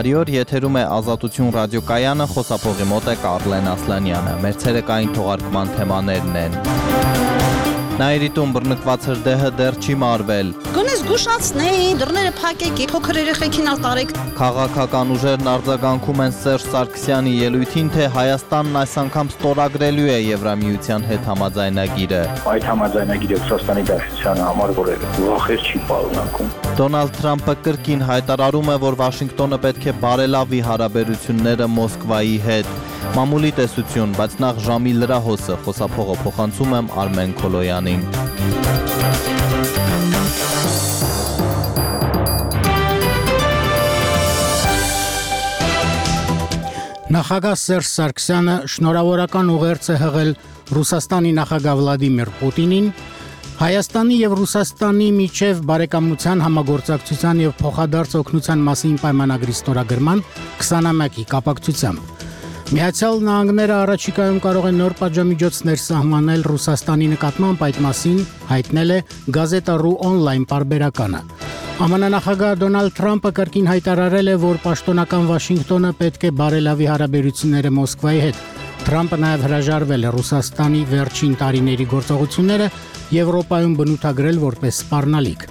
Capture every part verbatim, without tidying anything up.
Բարի օր, եթերում է Ազատություն ռադիոկայանը, խոսափողի մոտ է Կարլեն Ասլանյանը։ Մեր ցերեկային թողարկման թեմաներն են. Նայիրիտում բռնկված հրդեհը դեռ չի մարվել։ Գոնե զգուշացնեի, դռները փակեք, փոքր երեխեքին արտարեք։ Քաղաքական ուժերն արձագանքում են Սերժ Սարգսյանի ելույթին, թե Հայաստանն այս անգամ ստորագրելու է Եվրամիության հետ համաձայնագիրը։ Այդ համաձայնագիրը Ռուսաստանի Դաշնության համար որ վախեր չի պարունակում։ Դոնալդ Թրամփը կրկին հայտարարում է, որ Վաշինգտոնը պետք է բարելավի հարաբերությունները Մոսկվայի հետ։ Մամուլի տեսություն, բայց նախ ժամի լրահոսը, խոսափողը փոխանցում եմ Արմեն Քոլոյանին։ Նախագահ Սերժ Սարգսյանը շնորհավորական ուղերձ է հղել Ռուսաստանի նախագահ Վլադիմիր Պուտինին, Հայաստանի եւ Ռուսաստանի միջև բարեկամության, համագործակցության եւ փոխադարձ օգնության մասին պայմանագրի ստորագրման քսանամյակի կապակցությամբ։ Միացյալ Նահանգները առաջիկայում կարող է նոր պատժամիջոցներ սահմանել Ռուսաստանի նկատմամբ, այդ մասին հայտնել է Գազետա.ru on-line պարբերականը։ ԱՄՆ նախագահ Դոնալդ Թրամփը կրկին հայտարարել է, որ պաշտոնական Վաշինգտոնը պետք է բարելավի հարաբերությունները Մոսկվայի հետ։ Թրամփը նաև հրաժարվել է Ռուսաստանի վերջին տարիների գործողությունները Եվրոպայում բնութագրել որպես սպառնալիք։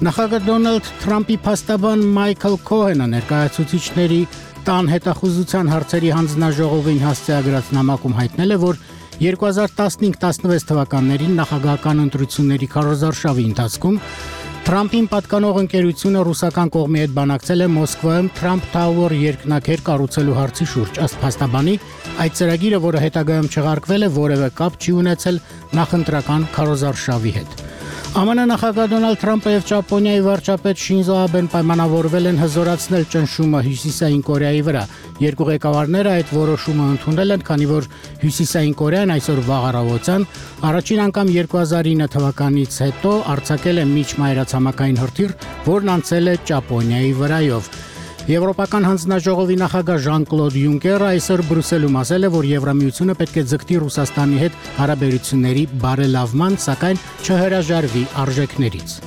Նախագահ Դոնալդ Թրամփի փաստաբան Մայքլ Քոհենը ներկայացուցիչների տան հետախուզության հարցերի հանձնաժողովին հասցեագրած նամակում հայտնել է, որ երկու հազար տասնհինգ տասնվեց թվականներին նախագահական ընտրությունների քարոզարշավի ընթացքում Թրամփին պատկանող ընկերությունը ռուսական կողմի հետ բանակցել է Մոսկվայում Trump Tower երկնաքեր կառուցելու հարցի շուրջ։ Ըստ փաստաբանի, այդ ծրագիրը, որը հետագայում չեղարկվել է, որևէ կապ չի ունեցել նախընտրական քարոզարշավի հետ։ ԱՄՆ նախագահ Դոնալդ Թրամփը եւ Ճապոնիայի վարչապետ Շինզո Աբեն պայմանավորվել են հզորացնել ճնշումը Հյուսիսային Կորեայի վրա։ Երկու ղեկավարները այդ որոշումը ընդունել են, քանի որ Հյուսիսային Կորեան այսօր վաղ առավոտյան առաջին անգամ երկու հազար ինը թվականից հետո արձակել է միջմայրացամաքային հրթիռ, որն անցել է Ճապոնիայի վրայով։ Եվրոպական հանձնաժողովի նախագահ Ժան-Կլոդ Յունկերը այսօր Բրյուսելում ասել է, որ Եվրամիությունը պետք է ձգտի Ռուսաստանի հետ հարաբերությունների բարելավման, սակայն չհրաժարվի արժեքներից։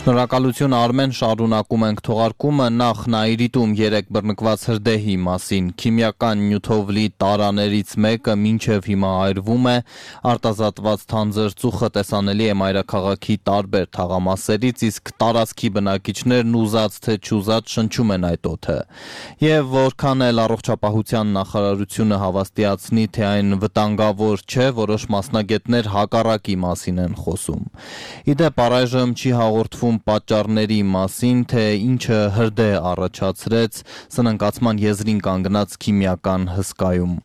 Շնորհակալություն Արմեն, շարունակում ենք թողարկումը, նախ Նայիրիտում երեք բռնկված հրդեհի մասին։ Քիմիական նյութով լի տարաներից մեկը մինչև հիմա այրվում է, արտազատված թանձր ծուխը տեսանելի է մայրաքաղաքի տարբեր թաղամասերից, իսկ տարածքի բնակիչներն ուզած թե չուզած շնչում են այդ օդը։ Եվ որքան էլ առողջապահության նախարարությունը հավաստիացնի, թե այն վտանգավոր չէ, որոշ մասնագետներ հակառակի մասին են խոսում։ Իդեպ առայժմ չի հաղորդվում պատճառների մասին, թե ինչը հրդեհ առաջացրեց սննկացման եզրին կանգնած քիմիական հսկայում։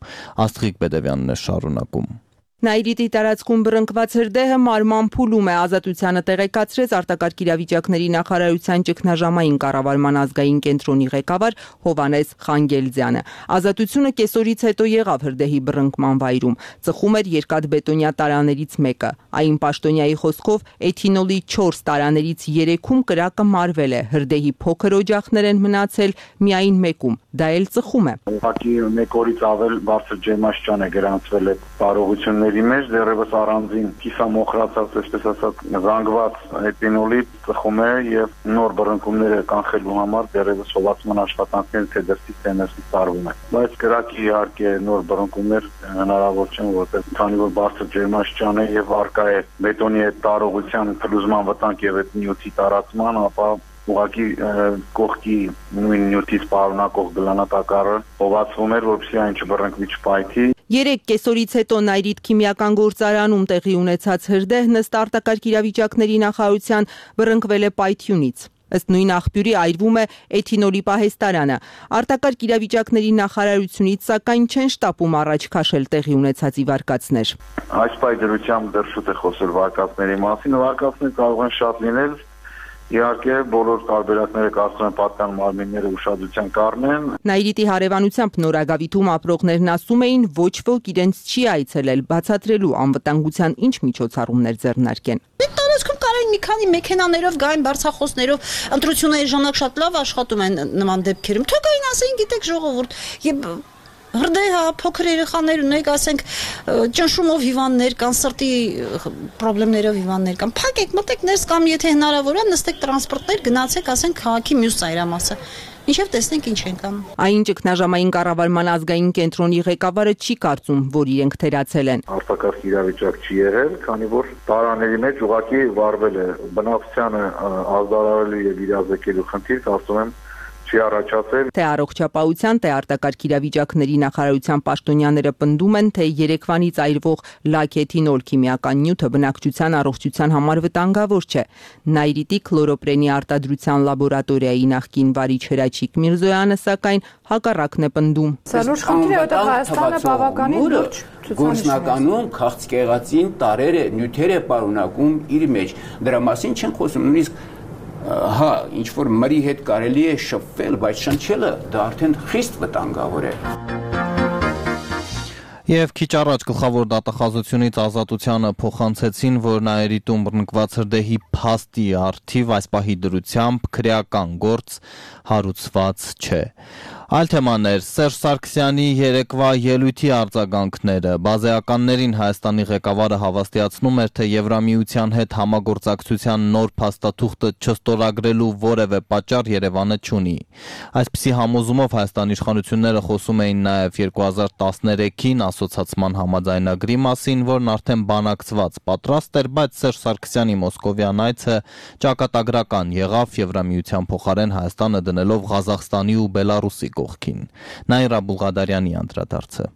Աստղիկ Բեդևյանն է շարունակում։ Նայիրիտի տարածքում բռնկված հրդեհը մարման փուլում է, Ազատությանը տեղեկացրեց արտակարգ իրավիճակների նախարարության ճգնաժամային կառավարման ազգային կենտրոնի ղեկավար Հովհաննես Խանգելձյանը։ Ազատությունը կեսօրից հետո եղավ հրդեհի բռնկման վայրում, ծխում էր երկաթբետոնյա տարաներից մեկը։ Այն պաշտոնյայի խոսքով էթինոլի չորս տարաներից երեքում կրակը մարվել է, հրդեհի փոքր օջախներ են մնացել միայն մեկում, դա էլ ծխում է։ Ուղղակի մեկ օրից ավել բարձր ջերմաստիճան է գրանցվել այդ տարողությունների մեջ, դեռևս առանձին կիսամոխրացած, այսպես ասած, զանգված էթինոլի ծխում է եւ նոր բռնկումները կանխելու համար դեռևս սովացման աշխատանքները թե դրսից թե ներսից տարվում է։ Բայց կրակի իհարկե նոր բռնկումներ հնարավոր չեն, որտեղ քանի որ բարձր ջերմաստիճան է եւ արկա է բետոնի այդ տարողության փլուզման վտանգ եւ այդ նյութի տարածման, ապա ուղղակի կողքի նույն նյութից պարունակող գլանատակառը հովացվում էր, որպեսզի այն չբռնկվի չպայթի։ Երեք կեսօրից հետո Նայիրիտ քիմիական գործարանում տեղի ունեցած հրդեհն ըստ արտակարգ իրավիճակների նախարարության բռնկվել է պայթյունից։ Ըստ նույն աղբյուրի այրվում է էթինոլի պահեստարանը։ Արտակարգ իրավիճակների նախարարությունից սակայն չեն շտապում առաջ քաշել տեղի ունեցածի վարկածներ։ Այս պայծրությամբ դեռ շուտ է խոսել վարկածների մասին, վարկածներ կարող են շատ լինել։ Իհարկե բոլոր տարբերակները կարծում եմ պատկան մարմինները ուշադրության կառնեն։ Նայիրիտի հարևանությամբ Նորագավիթում ապրողներն ասում էին, ոչ ոք իրենց չի այցելել, բացատրելու անվտանգության ինչ միջոցառումներ ձեռնարկեն։ Տարածքում կարային մի քանի մեքենաներով գային բարձախոսներով, ընտրությունների ժամանակ շատ լավ աշխատում են նման դեպքերում։ Թող գային ասեին, գիտեք ժողովուրդ, եւ հրդեհ, փոքր երեխաներ ունեք, ասենք ճնշումով հիվանդներ կան, սրտի խնդիրներով հիվանդներ կան։ Փակեք, մտեք ներս կամ եթե հնարավոր է, նստեք տրանսպորտներ, գնացեք, ասենք քաղաքի մյուս ծայրամասը։ Ինչեւ տեսնենք ինչ ենք անում։ Այն ճգնաժամային կառավարման ազգային կենտրոնի ղեկավարը չի կարծում, որ իրենք թերացել են։ Արտակարգ իրավիճակ չի եղել, քանի որ տարաների մեջ ուղղակի վարվել է բնակչությանը ազդարարելու եւ իրազեկելու խնդիր, ասում եմ, չի առաջացել։ Թե առողջապահության, թե արտակարգ իրավիճակների նախարարության պաշտոնյաները պնդում են, թե երեկվանից այրվող լաքեթինոլ քիմիական նյութը բնակչության առողջության համար վտանգավոր չէ։ Նայրիտի քլորոպրենի արտադրության լաբորատորիայի նախկին վարիչ Հրաչիկ Միրզոյանը սակայն հակառակն է պնդում։ Սա լուրջ խնդիր է, որտեղ Հայաստանը բավականին լուրջ գործնականում քաղցկեղածին տարերը նյութեր է պարունակում իր մեջ։ Դրա մասին չեն խոսում, նույնիսկ հա, ինչ որ մրի հետ կարելի է շփվել, բայց շնչելը դա արդեն խիստ վտանգավոր է։ Եվ քիչ առաջ գլխավոր դատախազությունից Ազատությանը փոխանցեցին, որ Նաիրիտում բռնկված հրդեհի փաստի առթիվ այս պահի դրությամբ քրեական գործ հարուցված չէ։ Այլ թեմաներ Սերժ Սարգսյանի երեկվա ելույթի արձագանքները բազեականներին Հայաստանի ղեկավարը հավաստիացնում էր, թե Եվրամիության հետ համագործակցության նոր փաստաթուղթը չստորագրելու որևէ պատճառ Երևանը չունի։ Այսպիսի համոզումով Հայաստանի իշխանությունները խոսում էին նաև երկու հազար տասներեքին ասոցացման համաձայնագրի մասին, որն արդեն բանակցված պատրաստ էր, բայց Սերժ Սարգսյանի մոսկովյան այցը ճակատագրական եղավ Եվրամիության փոխարեն Հայաստանը դնելով Ղազախստանի ու Բելարուսի կողքին։ Նաիրա Բուլղադարյանի անդրադարձը։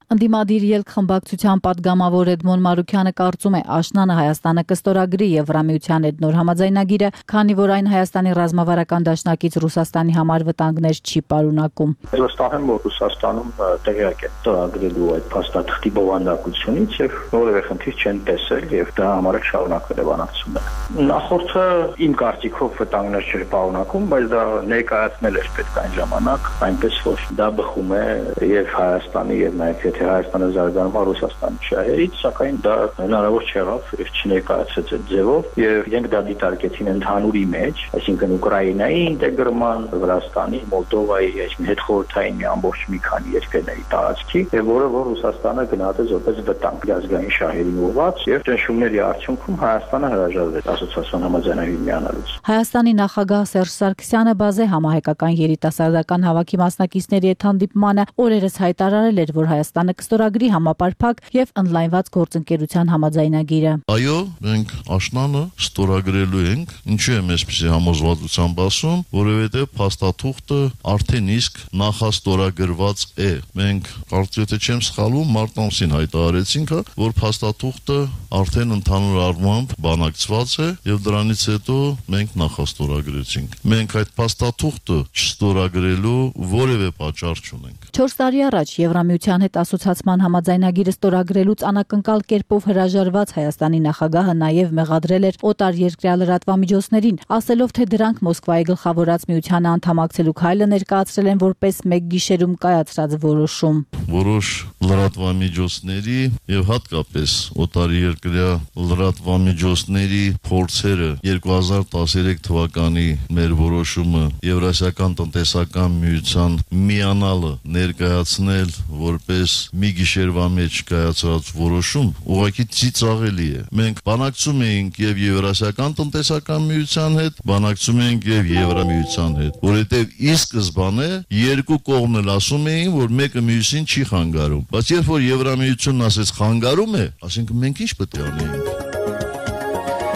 Ընդդիմադիր ելք խմբակցության պատգամավոր Էդմոն Մարուքյանը կարծում է Աշնանը Հայաստանը կստորագրի Եվրամիության հետ նոր համաձայնագիրը, քանի որ այն Հայաստանի ռազմավարական դաշնակից Ռուսաստանի համար վտանգներ չի պարունակում։ Վստահ եմ, որ Ռուսաստանում տեղյակ է ստորագրելու այդ փաստաթղթի բովանդակությունից եւ որևէ խնդիր չեն տեսել եւ դա համար շարունակվել է բանակցությունը։ Նախորդը իմ կարծիքով վտանգներ չէր պարունակում, բայց դա ներկայացնել էր պետք այն ժամանակ, այնպես որ դա բխում է եւ Հայաստանի եւ նաեւ թե Հայաստանը զարգանում է Ռուսաստանի շահերից, սակայն դա հնարավոր չեղավ եւ չներկայացվեց այդ ձևով եւ իրենք դա դիտարկեցին ընդհանուրի մեջ, այսինքն Ուկրաինայի ինտեգրման, Վրաստանի, Մոլդովայի, այսինքն հետխորհրդային մի ամբողջ մի քանի երկրների տարածքի եւ որը որ Ռուսաստանը գնահատեց որպես վտանգ ազգային շահերին ուղղված եւ ճնշումների արդյունքում Հայաստանը հրաժարվեց ասոցիացիոն համաձայնագրին միանալուց։ Հայաստանի նախագահ Սերժ Սարգսյանը բազե համահայկական երիտասարդական հավաքի մասնակիցների հետ հանդիպմանը օրերս հայտարարել էր, որ Հայաստանը կստորագրի համապարփակ եւ ընդլայնված գործընկերության համաձայնագիրը։ Այո, մենք աշնանը ստորագրելու ենք, ինչու եմ այսպեսի համոզվածությամբ ասում, որովհետեւ փաստաթուղթը արդեն իսկ նախաստորագրված է։ Մենք կարծես թե չեմ սխալվում, մարտ ամսին հայտարարեցինք, որ փաստաթուղթը արդեն ընդհանուր առմամբ բանակցված է եւ դրանից հետո մենք նախաստորագրեցինք։ Մենք այդ փաստաթուղթը չստորագրելու որևէ պատճառ չունենք։ չորս տարի առաջ Եվրամիության հետ ասոցիացման համաձայնագիրը ստորագրելուց անակնկալ կերպով հրաժարված Հայաստանի նախագահը նաև մեղադրել էր օտար երկրյա լրատվամիջոցներին, ասելով, թե դրանք Մոսկվայի գլխավորած միությանը անդամակցելու քայլը ներկայացրել են որպես մեկ գիշերում կայացրած որոշում։ Որոշ լրատվամիջոցների եւ հատկապես օտար երկրյա լրատվամիջոցների փորձերը երկու հազար տասներեք թվականի մեր որոշումը Եվրասիական տնտեսական միության միանալը ներկայացնել որպես մի գիշերվա մեջ կայացած որոշում ուղղակի ծիծաղելի է։ Մենք բանակցում էինք եւ Եվրասիական տնտեսական միության հետ, բանակցում էինք եւ Եվրամիության հետ, որովհետեւ ի սկզբանե երկու կողմն էլ ասում էին, որ մեկը մյուսին չի խանգարում, բայց երբ որ Եվրամիությունն ասեց խանգարում է, ասենք մենք ինչ պետք է անենք։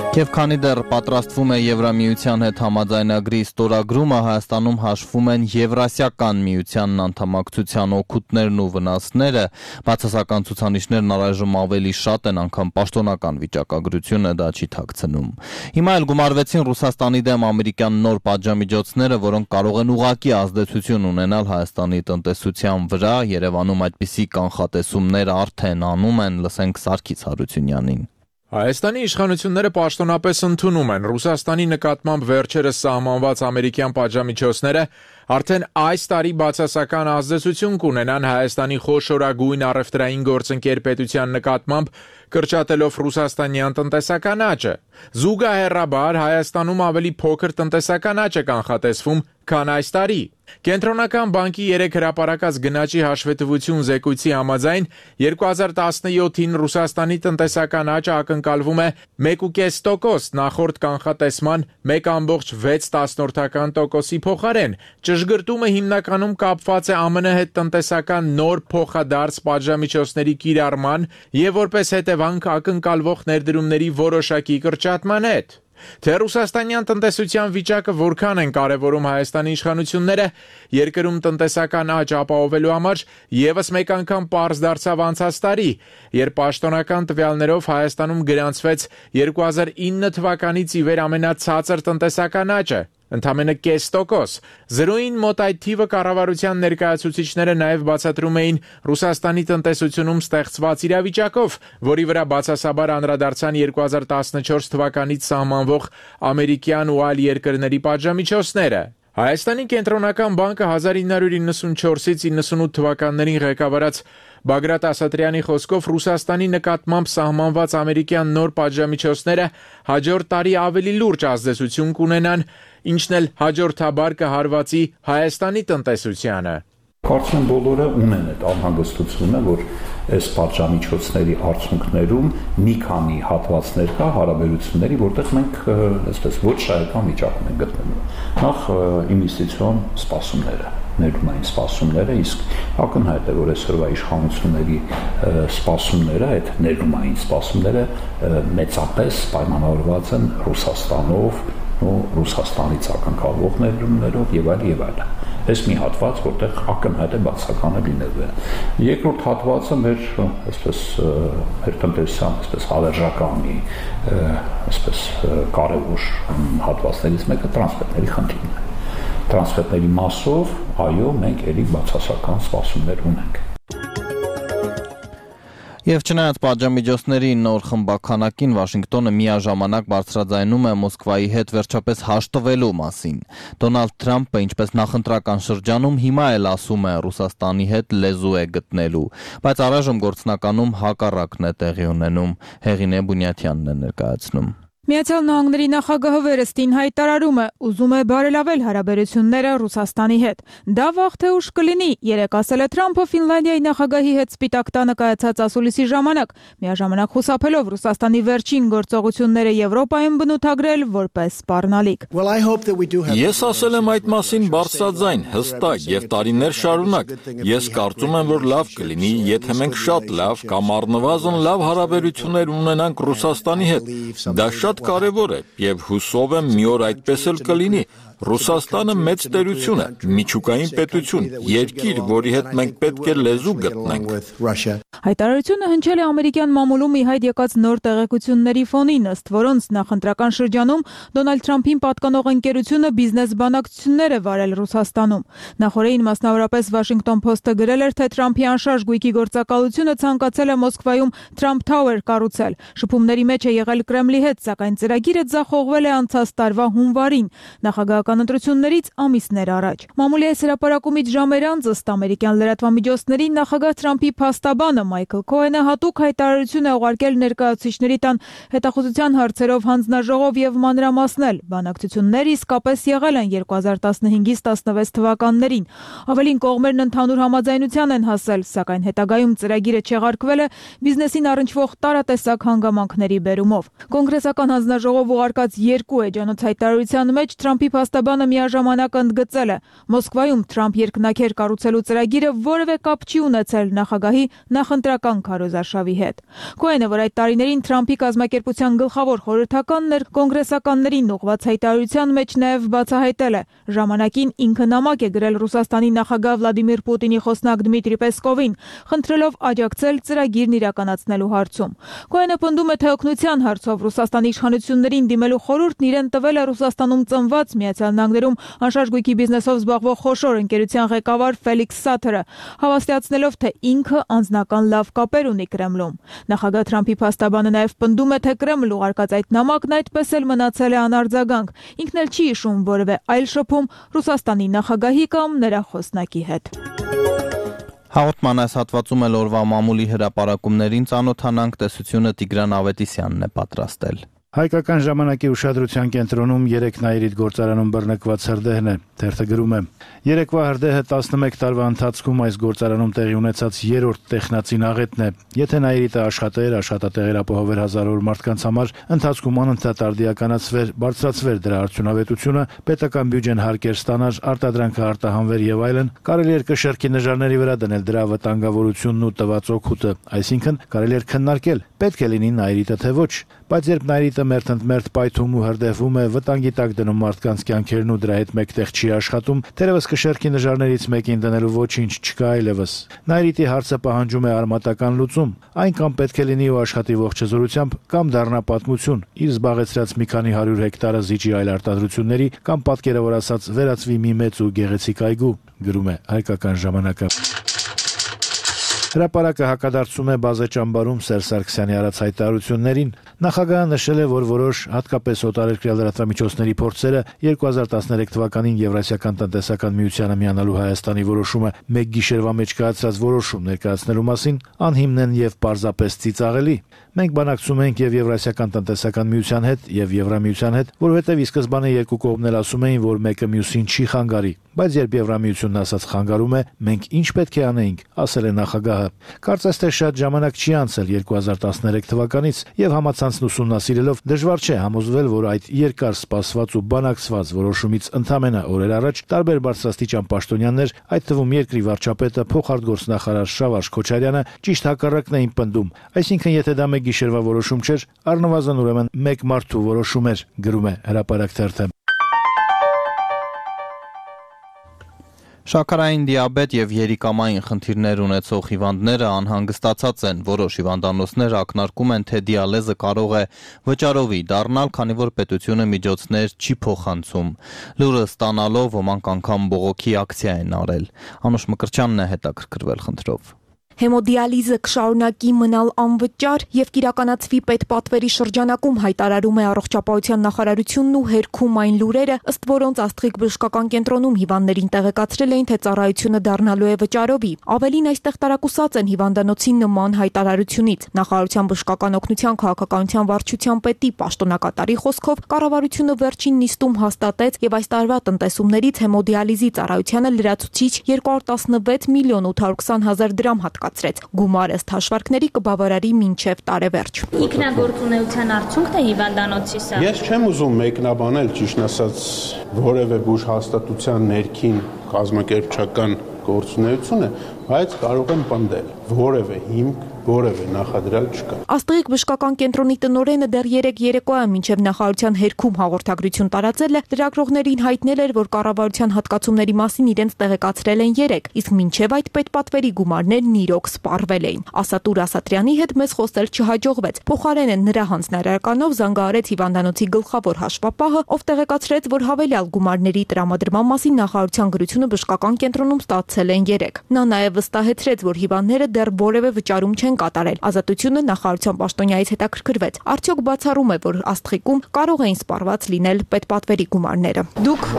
Եվ քանի դեռ պատրաստվում է Եվրամիության հետ համաձայնագրի ստորագրումը, Հայաստանում հաշվում են Եվրասիական միությանն անդամակցության օգուտներն ու վնասները, բացասական ցուցանիշներն առայժմ ավելի շատ են, անգամ պաշտոնական վիճակագրությունը դա չի թաքցնում։ Հիմա էլ գումարվեցին Ռուսաստանի դեմ ամերիկյան նոր պատժամիջոցները, որոնք կարող են ուղղակի ազդեցություն ունենալ Հայաստանի տնտեսության վրա, Երևանում այդպիսի կանխատեսումներ արդեն անում են, լսենք Սարգիս Հարությունյանին։ Հայաստանի իշխանությունները պաշտոնապես ընդունում են Ռուսաստանի նկատմամբ վերջերս սահմանված ամերիկյան պատժամիջոցները արդեն այս տարի բացասական ազդեցություն կունենան Հայաստանի խոշորագույն առևտրային գործընկեր պետության նկատմամբ, կրճատելով ռուսաստանյան տնտեսական աճը։ Զուգահեռաբար Հայաստանում ավելի փոքր տնտեսական աճ է կանխատեսվում, քան այս տարի։ Կենտրոնական բանկի երեք հրապարակած գնաճի հաշվետվություն զեկույցի համաձայն երկու հազար տասնյոթին Ռուսաստանի տնտեսական աճը ակնկալվում է մեկ կես տոկոս նախորդ կանխատեսման մեկ կόμք վեց տոկոսի փոխարեն։ Ճշգրտումը հիմնականում կապված է ԱՄՆ հետ տնտեսական նոր փոխադարձ պատժամիջոցների կիրառման եւ որպես հետևանք ակնկալվող ներդրումների որոշակի կրճատման հետ։ Թե ռուսաստանյան տնտեսության վիճակը որքան են կարևորում Հայաստանի իշխանությունները երկրում տնտեսական աճ ապահովելու համար եւս մեկ անգամ պարզ դարձավ անցած տարի, երբ պաշտոնական տվյալներով Հայաստանում գրանցվեց երկու հազար ինը թվականից ի վեր ամենացածր տնտեսական աճը, ընդամենը կես տոկոս։ Զրոյին մոտ այդ թիվը կառավարության ներկայացուցիչները նաև բացատրում էին Ռուսաստանի տնտեսությունում ստեղծված իրավիճակով, որի վրա բացասաբար անդրադարձան երկու հազար տասնչորս թվականից սահմանվող ամերիկյան ու այլ երկրների պատժամիջոցները։ Հայաստանի կենտրոնական բանկը հազար ինը հարյուր իննսունչորսից իննսունութ թվականներին ղեկավարած Բագրատ Ասատրյանի խոսքով Ռուսաստանի նկատմամբ սահմանված ամերիկյան նոր պատժամիջոցները հաջորդ տարի ավելի լուրջ ազդեցություն կունենան, ինչն էլ հաջորդաբար կհարվածի Հայաստանի տնտեսությանը։ Կարծում եմ բոլորը ունեն այդ անհանգստությունը, որ այս պատժամիջոցների արդյունքներում մի քանի հատվածներ կա հարաբերությունների, որտեղ մենք այսպես ոչ շահեկան վիճակում ենք գտնվում։ Նախ ինվեստիցիոն սպասումները, ներդրումային սպասումները, իսկ ակնհայտ է, որ այսօրվա իշխանությունների սպասումները, այդ ներդրումային սպասումները մեծապես պայմանավորված են Ռուսաստանով ու Ռուսաստանից ակնկալվող ներդրումներով եւ այլ եւ այլ։ Այս մի հատված, որտեղ ակնհայտ է բացականը լինելու է։ Երկրորդ հատվածը մեր այսպես մեր տնտեսության այսպես հավերժական մի այսպես կարևոր հատվածներից մեկը տրանսպորտների խնդիրն է։ Տրանսպորտների մասով, այո, մենք ելի բացասական սպասումներ ունենք։ Եվ չնայած պատժամիջոցների նոր խմբականակին Վաշինգտոնը միաժամանակ բարձրաձայնում է Մոսկվայի հետ վերջապես հաշտվելու մասին։ Դոնալդ Թրամփը, ինչպես նախընտրական շրջանում, հիմա էլ ասում է Ռուսաստանի հետ լեզու է գտնելու, բայց առայժմ գործնականում հակառակն է տեղի ունենում։ Հեղինե Բունյաթյանն է ներկայացնում։ Միացյալ Նահանգների նախագահը վերստին հայտարարում է, ուզում է բարելավել հարաբերությունները Ռուսաստանի հետ։ Դա վաղ թե ուշ կլինի, երեկ ասել է Թրամփը Ֆինլանդիայի նախագահի հետ Սպիտակ տանը կայացած ասուլիսի ժամանակ, միաժամանակ խուսափելով Ռուսաստանի վերջին գործողությունները Եվրոպայում բնութագրել որպես սպառնալիք։ Ես ասել եմ այդ մասին բարձրաձայն, հստակ եւ տարիներ շարունակ։ Ես կարծում եմ, որ լավ կլինի, եթե մենք շատ լավ կամ առնվազն լավ հարաբերություններ ունենանք Ռուսաստանի հետ։ Դա շատ կարևոր է եւ հուսով եմ մի օր այդպես էլ կլինի։ Ռուսաստանը մեծ տերություն է, միջուկային պետություն, երկիր, որի հետ մենք պետք է լեզու գտնենք։ Հայտարարությունը հնչել է ամերիկյան մամուլում ի հայտ եկած նոր տեղեկությունների ֆոնին, ըստ որոնց նախընտրական շրջանում Դոնալդ Թրամփին պատկանող ընկերությունը բիզնես բանակցություններ է վարել Ռուսաստանում։ Նախորդին մասնավորապես Washington Post-ը գրել էր, թե Թրամփի անշարժ գույքի գործակալությունը ցանկացել է Մոսկվայում Trump Tower կառուցել։ Շփումների մեջ է եղել Կրեմլի հետ, սակայն ծրագիրը ձախողվել է անցած տարվա հունվարին, նախագահական ընտրություններից ամիսներ առաջ։ Մամուլի այս հրապարակումից ժամեր անց ըստ ամերիկյան լրատվամիջոցների նախագահ Թրամփի փաստաբանը Մայքլ Քոենը հատուկ հայտարարություն է ուղարկել ներկայացուցիչների տան հետախուզության հարցերով հանձնաժողով եւ մանրամասնել։ Բանակցությունները իսկապես եղել են երկու հազար տասնհինգից տասնվեց թվականներին։ Ավելին կողմերն ընդհանուր համաձայնության են հասել, սակայն հետագայում ծրագիրը չեղարկվել է բիզնեսին առնչվող տարատեսակ հանգամանքների բերումով։ Կոնգրեսական հանձնաժողով ուղարկած երկու էջանոց հայտարարության մեջ Թրամփի փաստաբանը միաժամանակ ընդգծել է. Մոսկվայում Թրամփ երկնաքեր կառուցելու ծրագիրը որևէ կապ չի ունեցել նախագահի նախընտրական քարոզարշավի հետ։ Քոենը, որ այդ տարիներին Թրամփի կազմակերպության գլխավոր խորհրդականն էր, կոնգրեսականներին ուղղված հայտարարության մեջ նաև բացահայտել է. ժամանակին ինքը նամակ է գրել Ռուսաստանի նախագահ Վլադիմիր Պուտինի խոսնակ Դմիտրի Պեսկովին, խնդրելով աջակցել ծրագիրն իրականացնելու հարցում։ Քոենը պնդում է, թե օգնության հարցով Ռուսաստանի իշխանություններին դիմելու խորհուրդն իրեն տվել է Ռուսաստանում ծնված Միացյալ Նահանգներում անշարժ գույքի բիզնեսով զբաղվող խոշոր ընկերության ղեկավար Ֆելիքս Սաթերը, հավաստիացնելով, թե ինքը անձնական լավ կապեր ունի Կրեմլում։ Նախագահ Թրամփի փաստաբանը նաև պնդում է, թե Կրեմլ ուղարկած այդ նամակն այդպես էլ մնացել է անարձագանք։ Ինքն էլ չի հիշում որևէ այլ շփում Ռուսաստանի նախագահի կամ նրա խոսնակի հետ։ Հաղորդման այս հատվածում էլ օրվա մամուլի հրապարակումներին ծանոթանանք, տեսությունը Տիգրան Ավետիսյանն է պատրաստել։ Հայկական ժամանակի ուշադրության կենտրոնում երեք նայիրիդ գործարանում բռնկված հրդեհն է, թերթը գրում է. Երեկվա հրդեհը տասնմեկ տարվա ընթացքում այս գործարանում տեղի ունեցած երրորդ տեխնացին աղետն է։ Եթե նայիրիդը աշխատեր, աշխատատեղեր ապահովեր հազարավոր մարդկանց համար, ընթացքում անընդհատ արդիականացվեր, բարձրացվեր դրա արդյունավետությունը, պետական բյուջեն հարկեր ստանար, արտադրանքը արտահանվեր եւ այլն, կարելի էր կշեռքի նժարների վրա դնել դրա վտանգավորությունն ու տված օգուտը, այսինքն կարելի էր քննարկել, պետք է լինի նայիրիդը թե ոչ, բայց երբ նայիրիդը մերթընդմերթ պայթում ու հրդեհվում է, վտանգի տակ դնում մարդկանց կյանքերն ու դրա հետ մեկտեղ չի աշխատում, թերևս կշեռքի նժարներից մեկին դնելու ոչինչ չկա այլևս։ Նայիրիդի հարցը պահանջում է արմատական լուծում, այն կամ պետք է լինի ու աշխատի ողջ հզորությամբ, կամ դառնա պատմություն, իր զբաղեցրած մի քանի հարյուր հեկտարը զիջի այլ արտադրությունների, կամ պատկերավոր ասած վերածվի մի մեծ ու գեղեցիկ այգու, գրում է Հայկական ժամանակը։ Հրապարակը հակադարձում է բազե ճամբարում Սերժ Սարգսյանի արած հայտարարություններին։ Նախագահը նշել է, որ որոշ հատկապես օտարերկրյա լրատվամիջոցների փորձերը երկու հազար տասներեք թվականին Եվրասիական տնտեսական միությանը միանալու Հայաստանի որոշումը մեկ գիշերվա մեջ կայացրած որոշում ներկայացնելու մասին անհիմն են եւ պարզապես ծիծաղելի։ Մենք բանակցում ենք եւ Եվրասիական տնտեսական միության հետ եւ Եվրամիության հետ, որովհետեւ ի սկզբանե երկու կողմն էլ ասում էին, որ մեկը մյուսին չի խանգարի, բայց երբ Եվրամիությունն ասած խանգարում է, մենք ինչ պետք է անեինք, ասել է նախագահը։ Կարծես թե շատ ժամանակ չի անցել երկու հազար տասներեք թվականից եւ համացանցն ուսումնասիրելով դժվար չէ համոզվել, որ այդ երկար սպասված ու բանակցված որոշումից ընդամենը օրեր առաջ տարբեր բարձրաստիճան պաշտոնյաներ, այդ թվում երկրի վարչապետը, փոխարտգործնախարար Շավարժ Քոչարյանը ճիշտ հակառակն էին պնդում, այսինքն եթե դա մեկ գիշերվա որոշում չէր, առնվազն ուրեմն մեկ մարդու որոշում էր, գրում է Հրապարակ թերթը։ Շաքարային դիաբետ եւ երիկամային խնդիրներ ունեցող հիվանդները անհանգստացած են, որոշ հիվանդանոցներ ակնարկում են, թե դիալեզը կարող է վճարովի դառնալ, քանի որ պետությունը միջոցներ չի փոխանցում։ Լուրը ստանալով ոմանք անգամ բողոքի ակցիա են արել։ Անուշ Մկրտչյանն է հետաքրքրվել խնդրով։ Հեմոդիալիզը կշարունակի մնալ անվճար եւ կիրականացվի պետպատվերի շրջանակում, հայտարարում է Առողջապահության նախարարությունն ու հերքում այն լուրերը, ըստ որոնց Աստղիկ բժշկական կենտրոնում հիվանդներին տեղեկացրել էին, թե ծառայությունը դառնալու է վճարովի։ Ավելին, այստեղ տարակուսած են հիվանդանոցի նման հայտարարությունից։ Նախարարության բժշկական օգնության քաղաքականության վարչության պետի պաշտոնակատարի խոսքով կառավարությունը վերջին նիստում հաստատեց եւ այս տարվա տնտեսումներից հեմոդիալիզի ծառայությանը լրացուցիչ երկու հարյուր տասնվեց միլիոն ութ հարյուր քսան հազար դրամ հատկացրեց։ Գումարը ըստ հաշվարկների կբավարարի մինչև տարեվերջ։ Ինքնագործունեության արդյունքն է հիվանդանոցի սա։ Ես չեմ ուզում մեկնաբանել, ճիշտ ասած, որևէ բուժ հաստատության ներքին կազմակերպչական գործունեությունը, բայց կարող եմ պնդել, որևէ հիմք, որևէ նախադրյալ չկա։ Աստղիկ բժշկական կենտրոնի տնօրենը դեռ երեք երեկոյան մինչև նախարարության հերքում հաղորդագրություն տարածել է, լրագրողներին հայտնել էր, որ կառավարության հատկացումների մասին իրենց տեղեկացրել են երեկ, իսկ մինչև այդ պետպատվերի գումարներն իրոք սպառվել էին։ Ասատուր Ասատրյանի հետ մեզ խոսել չհաջողվեց։ Փոխարենը նրա հանձնարարականով զանգահարեց հիվանդանոցի գլխավոր հաշվապահը, ով տեղեկացրեց, որ հավելյալ գումարների տրամադրման մասին նախարարության գրությունը բժշկական կենտրոնում ստացել են երեկ։ Նա նաև վստահեցրեց, որ հիվանդները դեռ որևէ վճարում չեն կատարել։ Ազատությունը նախարարության պաշտոնյայից հետաքրքրվեց։ Արդյոք բացառում է, որ Աստղիկում կարող էին սպառված լինել պետպատվերի գումարները։ Դուք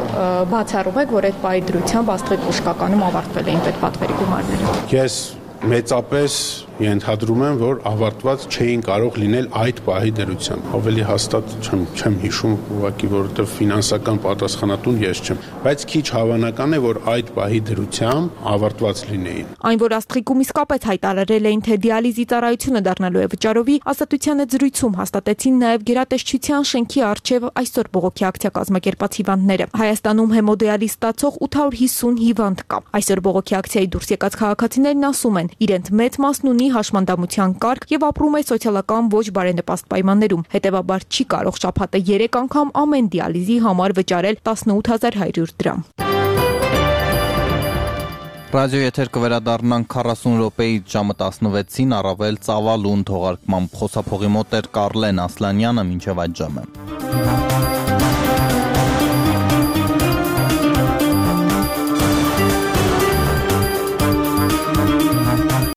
բացառում եք, որ այդ պահի դրությամբ Աստղիկ բժշկականում ավարտվել էին պետպատվերի գումարները։ Ես մեծապես ենթադրում եմ, որ ավարտված չէին կարող լինել այդ պահի դրությամբ։ Ավելի հաստատ չեմ չեմ հիշում, ուղղակի որովհետև ֆինանսական պատասխանատուն ես չեմ, բայց քիչ հավանական է, որ այդ պահի դրությամբ ավարտված լինեին։ Այն, որ Աստղիկում իսկապես հայտարարել էին, թե դիալիզի ծառայությունը դառնալու է վճարովի, Ազատության հետ զրույցում հաստատեցին նաև գերատեսչության շենքի առջև այսօր բողոքի ակցիա կազմակերպած հիվանդները։ Հայաստանում հեմոդիալիզ ստացող ութ հարյուր հիսուն հիվանդ կա։ Այսօր բողոքի ակցիայի դուրս եկած քաղաքացիներն ասում են, իրենց մեծ մասն ունի հաշմանդամության կարգ եւ ապրում է սոցիալական ոչ բարենպաստ պայմաններում, հետեւաբար չի կարող շաբաթը երեք անգամ ամեն դիալիզի համար վճարել տասնութ հազար հարյուր դրամ։ Ռադիո եթեր կվերադառնանք քառասուն րոպեից ժամը տասնվեցին առավել ծավալուն թողարկմամբ խոսափողի մոտ էր Կարլեն Ասլանյանը մինչև այդ ժամը։